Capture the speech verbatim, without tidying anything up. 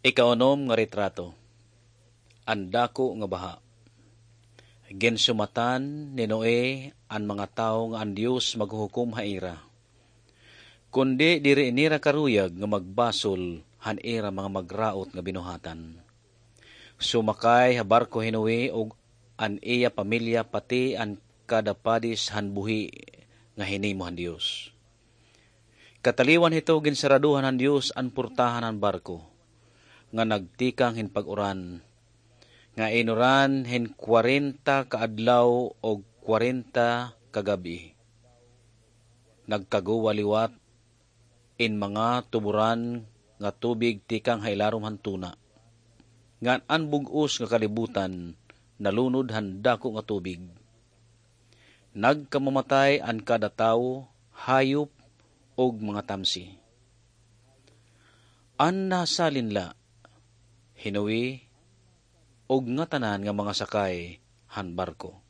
Ikaunom nga retrato. An dako nga baha. Ginsumatan ni Noe an mga tawo nga an Dios maghuhukom ha ira. Kundi diri nira karuyag nga magbasol han ira mga magraot nga binuhatan. Sumakay ha barko hi Noe ug an iya pamilya, pati an kada padis han buhi nga hinimo han Dios. Kataliwan hito, ginsaraduhan han Dios an portahan han barko nga nagtikang hin pag-uran, nga inuran hin kwarenta ka adlaw ug kwarenta ka gab-i. Nagkaguwa liwat in mga tuburan nga tubig tikang ha ilarom han tuna, ngan an bug-os nga kalibutan nalunod han dako nga tubig. Nagkamamatay an kada tawo, hayop, ug mga tamsi. An nasalin la, hi Noe, ug ngatanan nga mga sakay han barko.